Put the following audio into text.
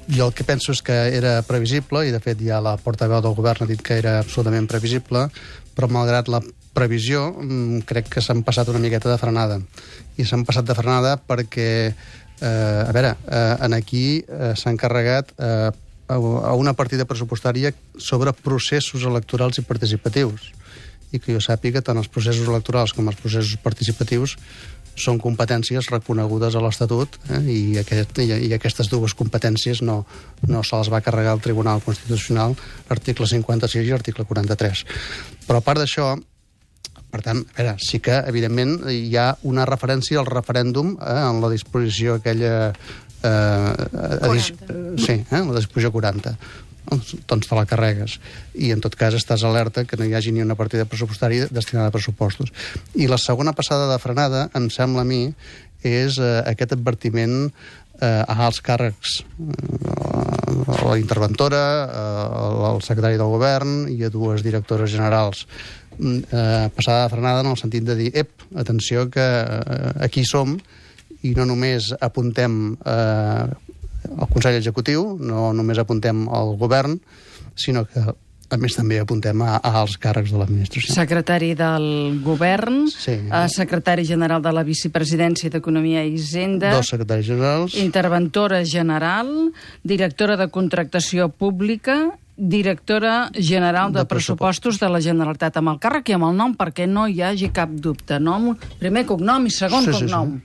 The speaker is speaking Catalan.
Jo el que penso és que era previsible, i de fet ja la portaveu del govern ha dit que era absolutament previsible, però malgrat la previsió crec que s'han passat una miqueta de frenada. I s'han passat de frenada perquè, a veure, aquí s'ha encarregat a una partida pressupostària sobre processos electorals i participatius. I que jo sàpiga, tant els processos electorals com els processos participatius són competències reconegudes a l'Estatut, i aquestes dues competències no se les va carregar el Tribunal Constitucional, article 56 i article 43. Però a part d'això, per tant, a veure, sí que, evidentment, hi ha una referència al referèndum en la disposició aquella... 40. Sí, la disposició 40. Doncs te la carregues. I, en tot cas, estàs alerta que no hi hagi ni una partida pressupostària destinada a pressupostos. I la segona passada de frenada, em sembla a mi, és aquest advertiment a alts càrrecs, a la interventora, al secretari del govern i a dues directores generals. Passada de frenada en el sentit de dir, atenció, que aquí som, i no només apuntem al Consell Executiu, no només apuntem al govern, sinó que, a més, també apuntem a alts càrrecs de l'administració. Secretari del govern, sí. Secretari general de la Vicepresidència d'Economia i Hisenda, dos secretaris generals, interventora general, directora de contractació pública, directora general de pressupostos de la Generalitat, amb el càrrec i amb el nom, perquè no hi hagi cap dubte. Nom, primer cognom i segon cognom.